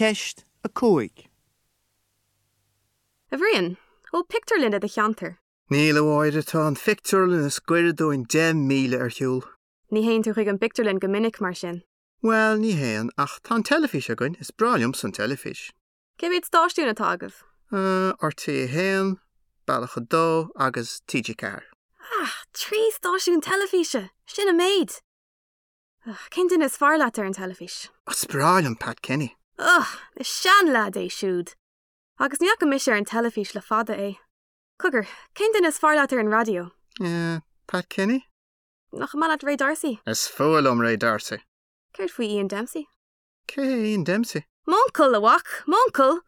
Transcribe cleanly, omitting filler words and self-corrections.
Ceist 5. A Bhriain, an bhfuil pictiúrlann i do cheantar? Níl, a Mháire, tá an phictiúrlann is gaire dúinn 10 míle ar shiúl. Ní théann tú chuig an bpictiúrlann go minic, mar sin? Bhuel, ní théann, ach tá an teilifís againn, is breá liomsa an teilifís. Cé mhéad stáisiún atá agaibh? RTÉ 1, Bealach 2 agus TG4. Ah, 3 stáisiún teilifíse! Sin an méid! Cén duine is fearr leat ar an teilifís? Is breá liom Pat Kenny. Ugh, is seanleaid é siúd! Agus ní fhaca mise ar an teilifís le fada é. Cogar, cén duine is fearr leat ar an raidió? Eh, Pat Kenny? Nach maith leat Ray D'Arcy? Is fuath liom Ray D'Arcy. Céard faoi Ian Dempsey? Cé hé Ian Dempsey? M'uncail, a mhac! M'uncail!